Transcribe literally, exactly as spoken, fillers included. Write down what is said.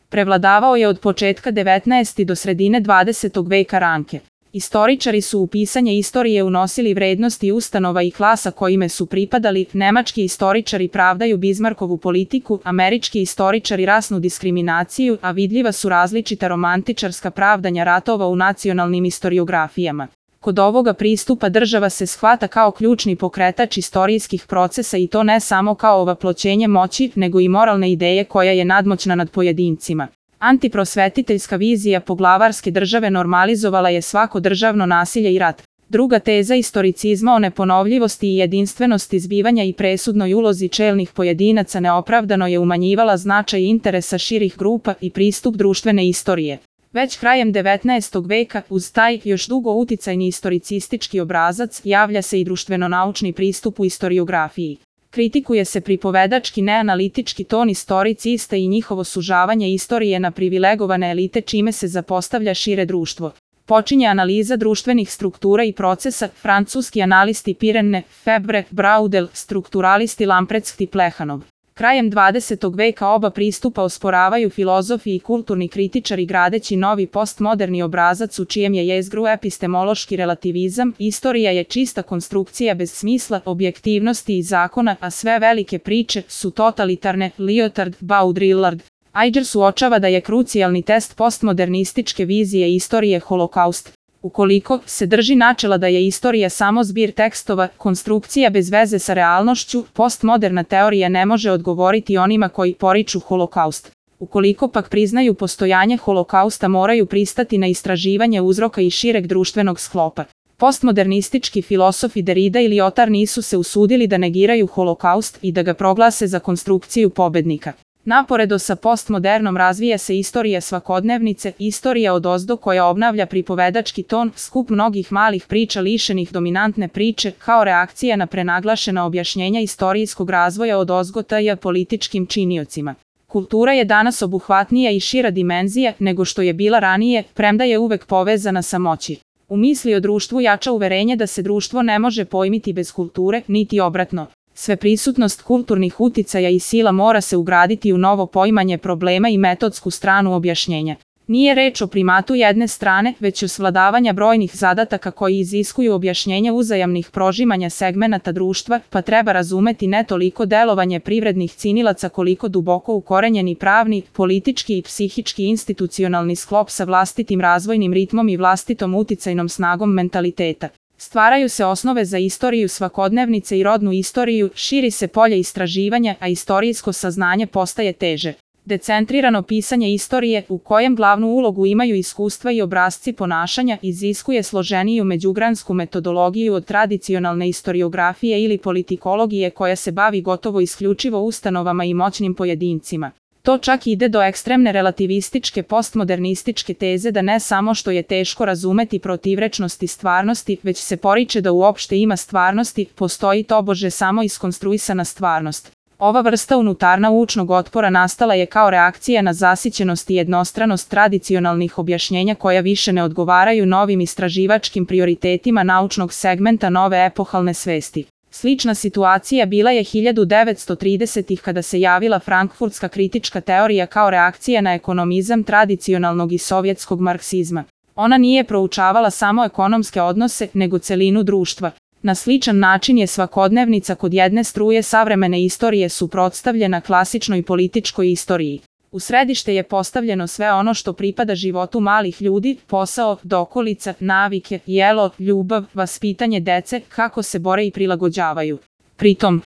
Prevladavao je od početka devetnaestog do sredine dvadesetog veka ranke. Istoričari su u pisanje istorije unosili vrednosti ustanova i klasa kojime su pripadali, nemački istoričari pravdaju Bizmarkovu politiku, američki istoričari rasnu diskriminaciju, a vidljiva su različita romantičarska pravdanja ratova u nacionalnim istoriografijama. Kod ovoga pristupa država se shvata kao ključni pokretač istorijskih procesa i to ne samo kao ovaploćenje moći, nego i moralne ideje koja je nadmoćna nad pojedincima. Antiprosvetiteljska vizija poglavarske države normalizovala je svako državno nasilje i rat. Druga teza istoricizma o neponovljivosti i jedinstvenosti zbivanja i presudnoj ulozi čelnih pojedinaca neopravdano je umanjivala značaj interesa širih grupa i pristup društvene istorije. Već krajem devetnaestog veka, uz taj još dugo uticajni istoricistički obrazac, javlja se i društveno-naučni pristup u istoriografiji. Kritikuje se pripovedački neanalitički ton istoricista i njihovo sužavanje istorije na privilegovane elite čime se zapostavlja šire društvo. Počinje analiza društvenih struktura i procesa, francuski analisti Pirenne, Febre, Braudel, strukturalisti Lamprecht i Plehanov. Krajem dvadesetog veka oba pristupa osporavaju filozofi i kulturni kritičari gradeći novi postmoderni obrazac u čijem je jezgru epistemološki relativizam, istorija je čista konstrukcija bez smisla, objektivnosti i zakona, a sve velike priče su totalitarne, Lyotard, Baudrillard. Ainger suočava da je krucijalni test postmodernističke vizije istorije holokaust. Ukoliko se drži načela da je istorija samo zbir tekstova, konstrukcija bez veze sa realnošću, postmoderna teorija ne može odgovoriti onima koji poriču holokaust. Ukoliko pak priznaju postojanje holokausta, moraju pristati na istraživanje uzroka i šireg društvenog sklopa. Postmodernistički filosofi Derrida i Lyotard nisu se usudili da negiraju holokaust i da ga proglase za konstrukciju pobednika. Naporedo sa postmodernom razvija se istorija svakodnevnice, istorija odozdo koja obnavlja pripovedački ton, skup mnogih malih priča lišenih dominantne priče, kao reakcija na prenaglašena objašnjenja istorijskog razvoja odozgo t.j. političkim činiocima. Kultura je danas obuhvatnija i šira dimenzija nego što je bila ranije, premda je uvek povezana sa moći. U misli o društvu jača uverenje da se društvo ne može pojmiti bez kulture, niti obratno. Sveprisutnost kulturnih uticaja i sila mora se ugraditi u novo poimanje problema i metodsku stranu objašnjenja. Nije reč o primatu jedne strane, već o svladavanja brojnih zadataka koji iziskuju objašnjenje uzajamnih prožimanja segmenata društva, pa treba razumeti ne toliko delovanje privrednih cinilaca koliko duboko ukorenjeni pravni, politički i psihički institucionalni sklop sa vlastitim razvojnim ritmom i vlastitom uticajnom snagom mentaliteta. Stvaraju se osnove za istoriju svakodnevnice i rodnu istoriju, širi se polje istraživanja, a istorijsko saznanje postaje teže. Decentrirano pisanje istorije, u kojem glavnu ulogu imaju iskustva i obrasci ponašanja, iziskuje složeniju međugransku metodologiju od tradicionalne istoriografije ili politikologije koja se bavi gotovo isključivo ustanovama i moćnim pojedincima. To čak ide do ekstremne relativističke postmodernističke teze da ne samo što je teško razumeti protivrečnosti stvarnosti, već se poriče da uopšte ima stvarnosti, postoji tobože samo iskonstruisana stvarnost. Ova vrsta unutarnaučnog otpora nastala je kao reakcija na zasićenost i jednostranost tradicionalnih objašnjenja koja više ne odgovaraju novim istraživačkim prioritetima naučnog segmenta nove epohalne svesti. Slična situacija bila je hiljadu devetsto tridesetih kada se javila frankfurtska kritička teorija kao reakcija na ekonomizam tradicionalnog i sovjetskog marksizma. Ona nije proučavala samo ekonomske odnose, nego celinu društva. Na sličan način je svakodnevnica kod jedne struje savremene istorije suprotstavljena klasičnoj političkoj istoriji. U središte je postavljeno sve ono što pripada životu malih ljudi, posao, dokolica, navike, jelo, ljubav, vaspitanje dece, kako se bore i prilagođavaju. Pritom,